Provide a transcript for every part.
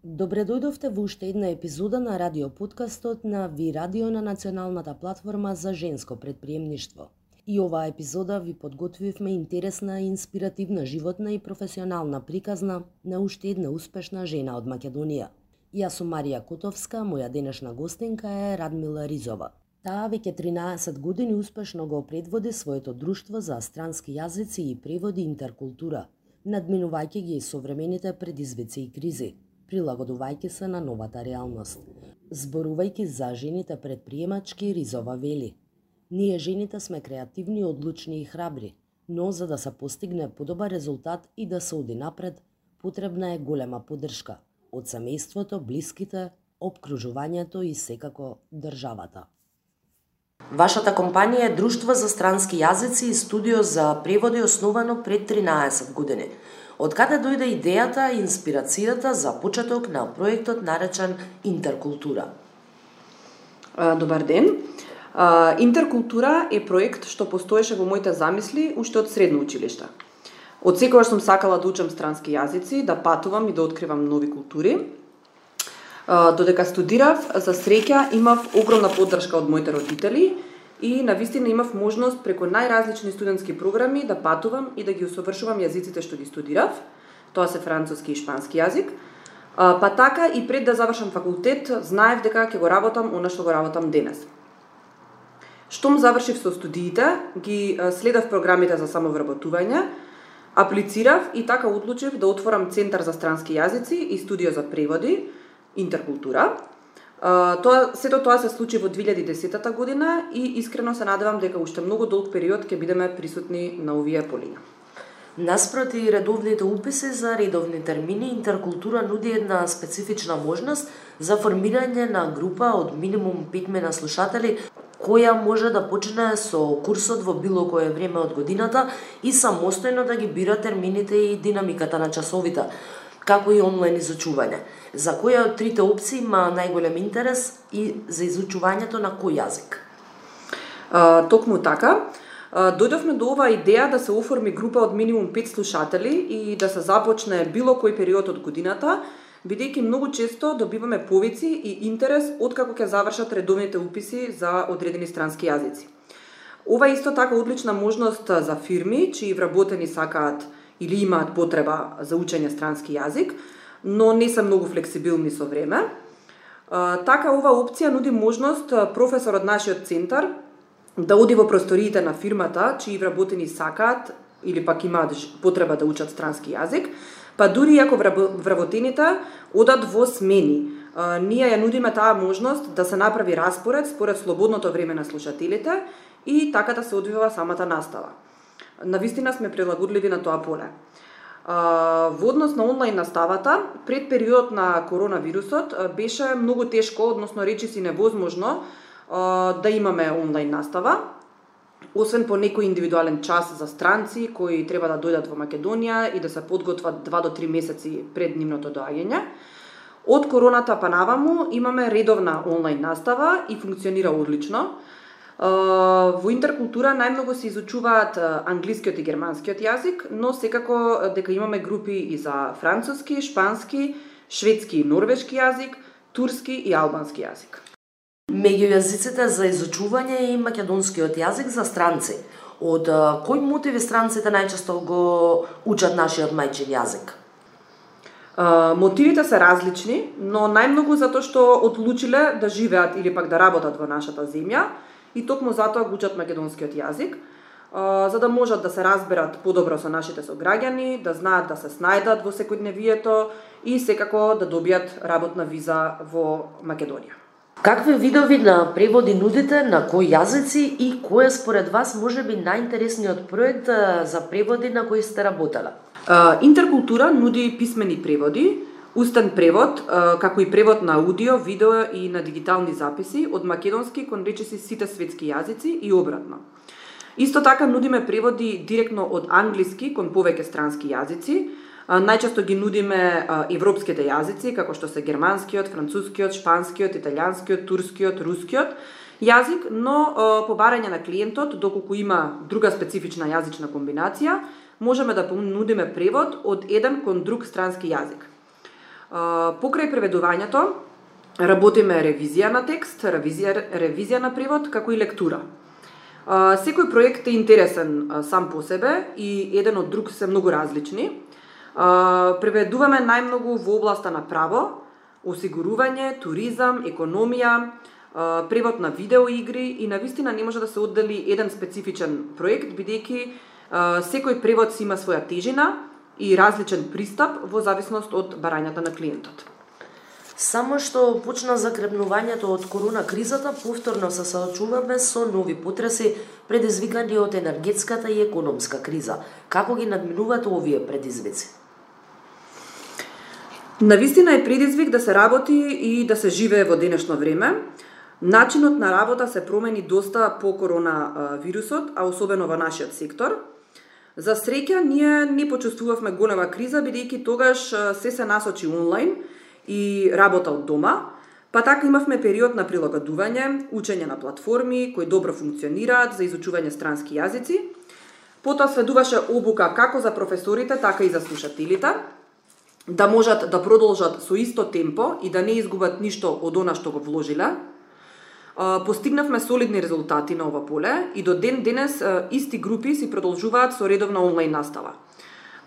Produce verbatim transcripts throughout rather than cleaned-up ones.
Добре дојдовте во уште една епизода на радио подкастот на Ви Радио на националната платформа за женско предприемништво. И оваа епизода ви подготвивме интересна, инспиративна, животна и професионална приказна на уште една успешна жена од Македонија. Јас сум Марија Котовска, моја денешна гостинка е Радмила Ризова. Таа веќе тринаесет години успешно го предводи своето друштво за странски јазици и преводи Интеркултура, надминувајќи ги современите предизвици и кризи, прилагодувајќи се на новата реалност. Зборувајќи за жените предприемачки, Ризова вели: ние жените сме креативни, одлучни и храбри, но за да се постигне подобар резултат и да се оди напред, потребна е голема поддршка од семејството, блиските, опкружувањето и секако државата. Вашата компанија е Друштво за странски јазици и студио за преводи основано пред тринаесет години. Од каде дојде идејата и инспирацијата за почеток на проектот наречен Интеркултура? Добар ден. Интеркултура е проект што постоеше во моите замисли уште од средно училиште. Од секогаш сум сакала да учам странски јазици, да патувам и да откривам нови култури. Додека студирав, за среќа имав огромна поддршка од моите родители и навистина имав можност преку најразлични студентски програми да патувам и да ги усовршувам јазиците што ги студирав. Тоа се француски и шпански јазик. Па така и пред да завршам факултет, знаев дека ќе го работам она што го работам денес. Штом завршив со студиите, ги следев програмите за самовработување, аплицирав и така одлучив да отворам Центар за странски јазици и студио за преводи Интеркултура. Тоа, сето тоа се случи во две илјади и десета година и искрено се надевам дека уште многу долг период ќе бидеме присутни на овие полиња. Наспроти редовните уписи за редовни термини, Интеркултура нуди една специфична можност за формирање на група од минимум петмина слушатели, која може да почне со курсот во било кое време од годината и самостојно да ги бира термините и динамиката на часовите, како и онлайн изучување. За која од трите опции има најголем интерес и за изучувањето на кој јазик? А, токму така. Дојдовме до оваа идеја да се оформи група од минимум пет слушатели и да се започне било кој период од годината, бидејќи многу често добиваме повици и интерес откако ќе завршат редовните уписи за одредени странски јазици. Ова исто така одлична можност за фирми чии вработени сакаат или имаат потреба за учење странски јазик, но не се многу флексибилни со време. Така, ова опција нуди можност професор од нашиот центар да оди во просториите на фирмата, чии вработени сакаат или пак имаат потреба да учат странски јазик, па дури ако вработените одат во смени. Ние ја нудиме таа можност да се направи распоред според слободното време на слушателите и така да се одвива самата настава. Навистина сме прилагодливи на тоа поле. Во однос на онлайн наставата, пред периодот на коронавирусот беше многу тешко, односно речиси невозможно да имаме онлайн настава, освен по некој индивидуален час за странци кои треба да дојдат во Македонија и да се подготват два до три месеци пред нивното доаѓање. Од короната па наваму имаме редовна онлайн настава и функционира одлично. Во Интеркултура најмногу се изучуваат англискиот и германскиот јазик, но секако дека имаме групи и за француски, шпански, шведски и норвешки јазик, турски и албански јазик. Меѓу јазиците за изучување е и македонскиот јазик за странци. Од кои мотиви странците најчесто го учат нашиот мајчин јазик? Мотивите се различни, но најмногу затоа што одлучиле да живеат или пак да работат во нашата земја и токму затоа го учат македонскиот јазик, за да можат да се разберат подобро со нашите сограѓани, да знаат да се снајдат во секојдневието и секако да добијат работна виза во Македонија. Какви видови на преводи нудите, на кои јазици и кој е според вас можеби најинтересниот проект за преводи на кои сте работеле? Интеркултура нуди писмени преводи, устен превод, како и превод на аудио, видео и на дигитални записи од македонски кон речиси сите светски јазици и обратно. Исто така нудиме преводи директно од англиски кон повеќе странски јазици. Најчесто ги нудиме европските јазици, како што се германскиот, францускиот, шпанскиот, италијанскиот, турскиот, рускиот јазик, но по барање на клиентот, доколку има друга специфична јазична комбинација, можеме да понудиме превод од еден кон друг странски јазик. Покрај преведувањето работиме ревизија на текст, ревизија, ревизија на превод, како и лектура. Секој проект е интересен сам по себе и еден од друг се многу различни. Преведуваме најмногу во областа на право, осигурување, туризам, економија, превод на видеоигри и навистина не може да се оддели еден специфичен проект, бидејќи секој превод си има своја тежина и различен пристап во зависност од барањата на клиентот. Само што почна закрепнувањето од корона кризата, повторно се соочуваме со нови потреси предизвикани од енергетската и економска криза. Како ги надминувате овие предизвици? Навистина е предизвик да се работи и да се живее во денешно време. Начинот на работа се промени доста по корона вирусот, а особено во нашиот сектор. За среќа, ние не почувствувавме голема криза, бидејќи тогаш се се насочи онлайн и работа од дома, па така имавме период на прилагодување, учење на платформи кои добро функционираат за изучување странски јазици. Потоа следуваше обука како за професорите, така и за слушателите, да можат да продолжат со исто темпо и да не изгубат ништо од она што го вложиле. Постигнавме солидни резултати на ова поле и до ден денес исти групи си продолжуваат со редовна онлайн настава.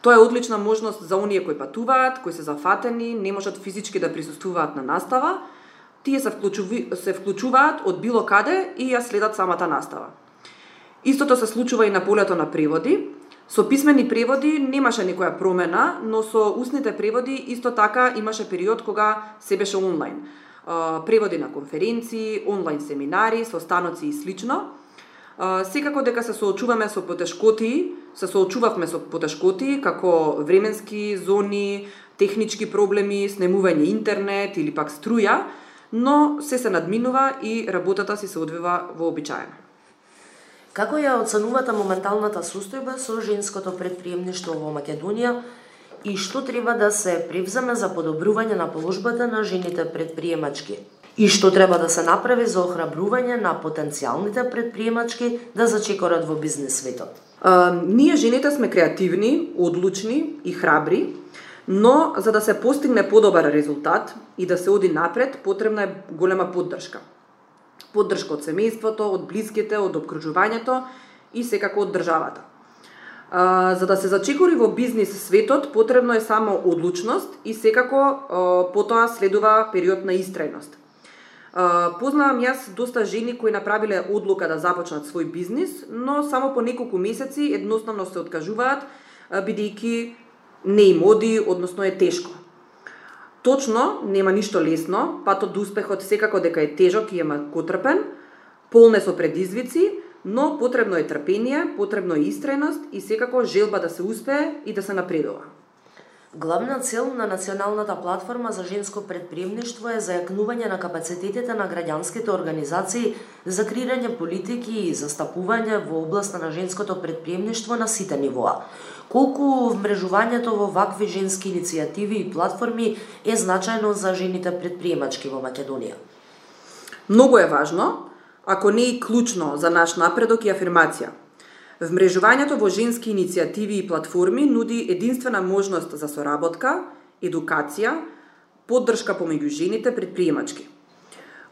Тоа е одлична можност за оние кои патуваат, кои се зафатени, не можат физички да присуствуваат на настава. Тие се, вклучуви, се вклучуваат од било каде и ја следат самата настава. Истото се случува и на полето на преводи. Со писмени преводи немаше никоја промена, но со устните преводи исто така имаше период кога се беше онлайн. Преводи на конференции, онлайн семинари, состаноци и слично. Секако дека се соочуваме со потешкоти, се соочувавме со потешкоти како временски зони, технички проблеми, снемување интернет или пак струја, но се се надминува и работата си се одвива вообичаено. Како ја оценувате моменталната состојба со женското предприемништво во Македонија и што треба да се превземе за подобрување на положбата на жените предприемачки? И што треба да се направи за охрабрување на потенцијалните предприемачки да зачекорат во бизнес светот? А, ние жените сме креативни, одлучни и храбри, но за да се постигне подобар резултат и да се оди напред, потребна е голема поддршка. Поддршка од семејството, од блиските, од обкружувањето и секако од државата. А, за да се зачекори во бизнис светот, потребно е само одлучност и секако а, потоа следува период на истрајност. А, познавам јас доста жени кои направиле одлука да започнат свој бизнис, но само по неколку месеци едноставно се откажуваат, бидејќи не им оди, односно е тешко. Точно, нема ништо лесно, патот до успехот секако дека е тежок и е макотрпен, полне со предизвици, но потребно е трпение, потребно е истрајност и секако желба да се успее и да се напредува. Главна цел на Националната платформа за женско предприемништво е зајакнување на капацитетите на граѓанските организации за креирање политики и застапување во областа на женското предприемништво на сите нивоа. Колку вмрежувањето во вакви женски иницијативи и платформи е значајно за жените предприемачки во Македонија? Многу е важно, ако не и клучно за наш напредок и афирмација. Вмрежувањето во женски иницијативи и платформи нуди единствена можност за соработка, едукација, поддршка помеѓу жените предприемачки.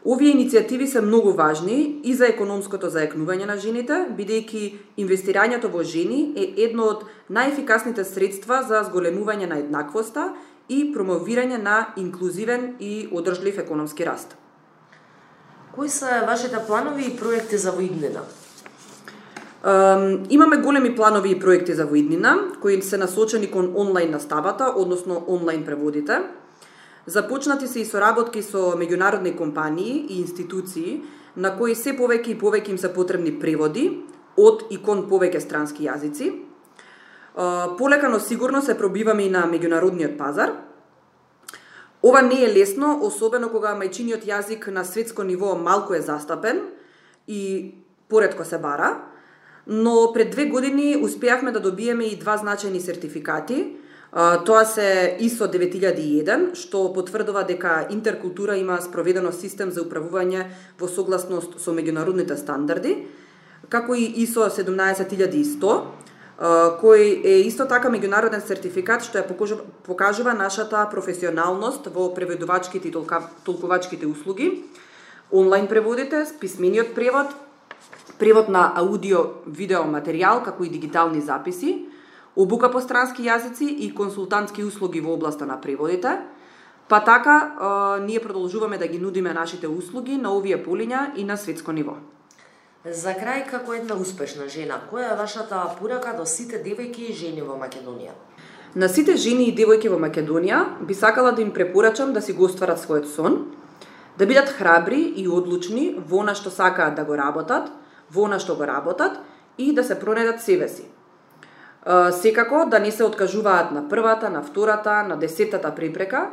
Овие иницијативи се многу важни и за економското зајакнување на жените, бидејќи инвестирањето во жени е едно од најефикасните средства за зголемување на еднаквоста и промовирање на инклузивен и одржлив економски раст. Кои се вашите планови и проекти за воиднина? Um, имаме големи планови и проекти за воиднина, кои се насочени кон онлайн наставата, односно онлайн преводите. Започнати се и соработки со меѓународни компании и институции, на кои се повеќе и повеќе им се потребни преводи од и кон повеќе странски јазици. Полека, но сигурно се пробиваме и на меѓународниот пазар. Ова не е лесно, особено кога мајчиниот јазик на светско ниво малку е застапен и поретко се бара, но пред две години успеавме да добиеме и два значајни сертификати. Тоа се ИСО девет илјади и еден, што потврдува дека Интеркултура има спроведено систем за управување во согласност со меѓународните стандарди, како и ИСО седумнаесет илјади и сто, кој е исто така меѓународен сертификат што ја покажува, покажува нашата професионалност во преведувачките и толкувачките услуги, онлайн преводите, писмениот превод, превод на аудио, видео материјал, како и дигитални записи, обука по странски јазици и консултантски услуги во областа на преводите. Па така, ние продолжуваме да ги нудиме нашите услуги на овие полиња и на светско ниво. За крај, како една успешна жена, која е вашата порака до сите девојки и жени во Македонија? На сите жени и девојки во Македонија би сакала да им препорачам да си го остварат својот сон, да бидат храбри и одлучни во она што сакаат да го работат, во она што го работат и да се пронедат себе си. Секако да не се откажуваат на првата, на втората, на десетата препрека,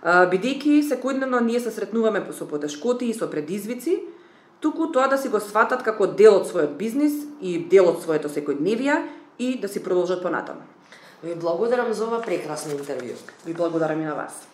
бидејќи секојдневно ние се сретнуваме со потешкоти и со предизвици, туку тоа да си го сватат како дел од својот бизнис и дел од своето секојдневие и да си продолжат понатаму. Ви благодарам за ова прекрасно интервју. Ви благодарам и на вас.